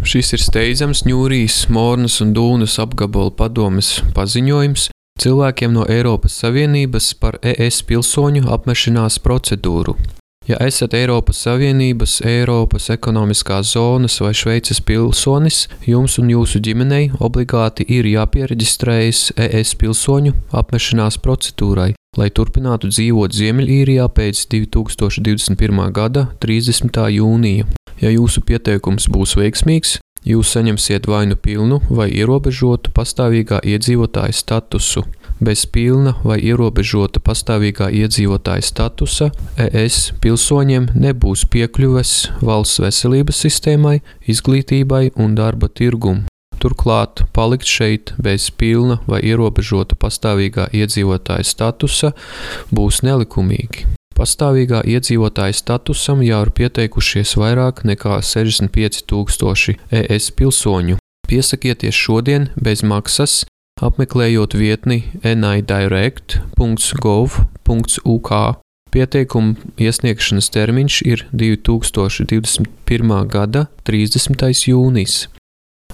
Šis ir steidzams Ņūrijas, Mornas un Dūnas apgabala padomes paziņojums cilvēkiem no Eiropas Savienības par ES pilsoņu apmešanās procedūru. Ja esat Eiropas Savienības, Eiropas ekonomiskās zonas vai Šveices pilsonis, jums un jūsu ģimenei obligāti ir jāpiereģistrējas ES pilsoņu apmešanās procedūrai, lai turpinātu dzīvot Ziemeļīrijā pēc 2021. gada 30. jūnija. Ja jūsu pieteikums būs veiksmīgs, jūs saņemsiet vai nu pilnu vai ierobežotu pastāvīgā iedzīvotāja statusu. Bez pilna vai ierobežota pastāvīgā iedzīvotāja statusa ES pilsoņiem nebūs piekļuves valsts veselības sistēmai, izglītībai un darba tirgum. Turklāt palikt šeit bez pilna vai ierobežota pastāvīgā iedzīvotāja statusa būs nelikumīgi. Pastāvīgā iedzīvotāja statusam jau ir pieteikušies vairāk nekā 65,000 ES pilsoņu. Piesakieties šodien bez maksas, apmeklējot vietni nidirect.gov.uk. Pieteikuma iesniegšanas termiņš ir 2021. gada 30. jūnijas.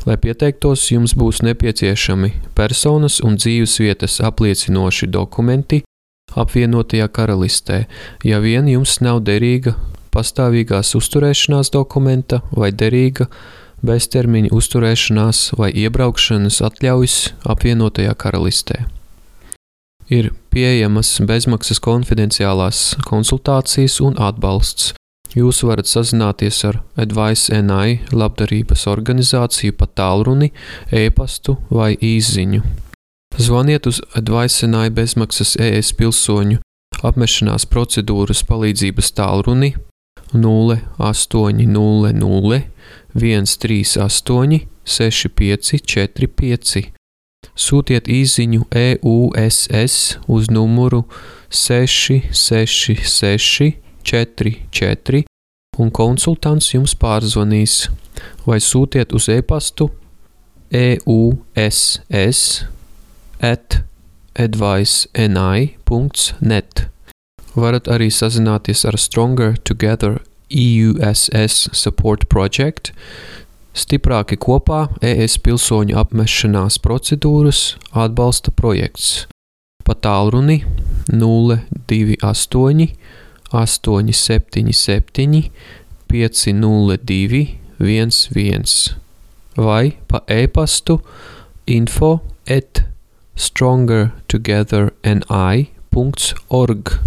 Lai pieteiktos, jums būs nepieciešami personas un dzīvesvietas apliecinoši dokumenti apvienotajā karalistē, ja vien jums nav derīga pastāvīgās uzturēšanās dokumenta vai derīga beztermiņa uzturēšanās vai iebraukšanas atļaujas apvienotajā karalistē. Ir pieejamas bezmaksas konfidenciālās konsultācijas un atbalsts. Jūs varat sazināties ar Advice NI labdarības organizāciju pa tālruni, e-pastu vai īsziņu. Zvaniet uz Advice NI bezmaksas ES pilsoņu apmešanās procedūras palīdzības tālruni 0800 138 6545. Sūtiet īsziņu EUSS uz numuru 666 44 un konsultants jums pārzvanīs, vai sūtiet uz e-pastu euss@adviceni.net. Varat arī sazināties ar Stronger Together EUSS Support Project, Stiprāki kopā ES pilsoņu apmešanās procedūras atbalsta projekts. Pa tālruni 028 877 502 11 vai pa e-pastu info@strongertogetherni.org.